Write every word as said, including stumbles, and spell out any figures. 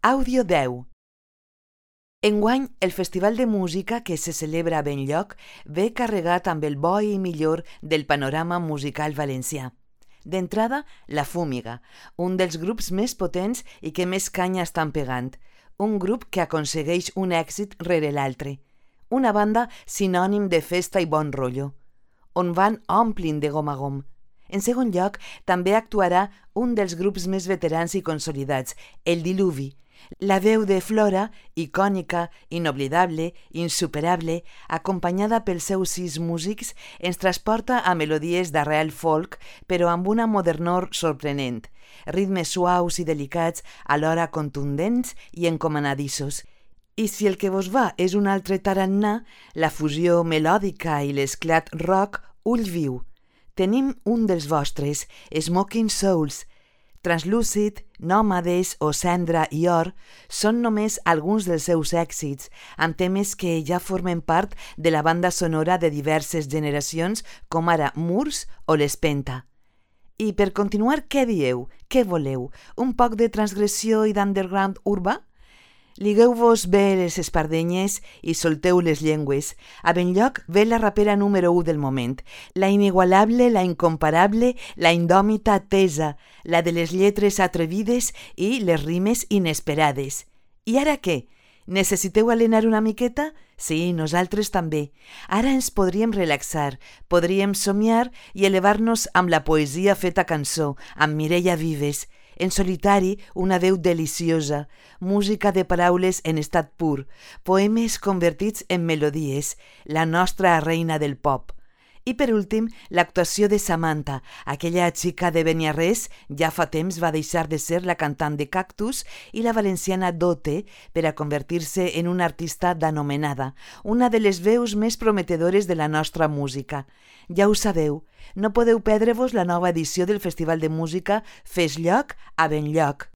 Àudio deu. Enguany, el Festival de Música que se celebra a Benlloc ve carregat amb el bo i millor del panorama musical valencià. D'entrada, La Fúmiga, un dels grups més potents i que més canya estan pegant. Un grup que aconsegueix un èxit rere l'altre. Una banda sinònim de festa i bon rotllo, on van omplint de gom a gom. En segon lloc, també actuarà un dels grups més veterans i consolidats, El Diluvi. La veu de Flora, icònica, inoblidable, insuperable, acompanyada pels seus sis músics, ens transporta a melodies d'arrel folk, però amb una modernor sorprenent, ritmes suaus i delicats, alhora contundents i encomanadissos. I si el que vos va és un altre tarannà, la fusió melòdica i l'esclat rock, ull viu. Tenim un dels vostres, Smoking Souls. Translúcid, Nòmades o Cendra i Or són només alguns dels seus èxits, amb temes que ja formen part de la banda sonora de diverses generacions, com ara Murs o l'Espenta. I per continuar, què dieu? Què voleu? Un poc de transgressió i d'underground urbà? Ligueu-vos bé les espardenyes i solteu les llengües. A Benlloc ve la rapera número u del moment, la inigualable, la incomparable, la indòmita Tesa, la de les lletres atrevides i les rimes inesperades. I ara què? Necessiteu alenar una miqueta? Sí, nosaltres també. Ara ens podríem relaxar, podríem somiar i elevar-nos amb la poesia feta cançó, amb Mireia Vives. En solitari, una veu deliciosa, música de paraules en estat pur, poemes convertits en melodies, la nostra reina del pop. I per últim, l'actuació de Samantha, aquella xica de Beniarrés, ja fa temps va deixar de ser la cantant de Cactus, i la valenciana Dote per a convertir-se en una artista d'anomenada, una de les veus més prometedores de la nostra música. Ja ho sabeu, no podeu perdre-vos la nova edició del Festival de Música Fes Lloc a Benlloc.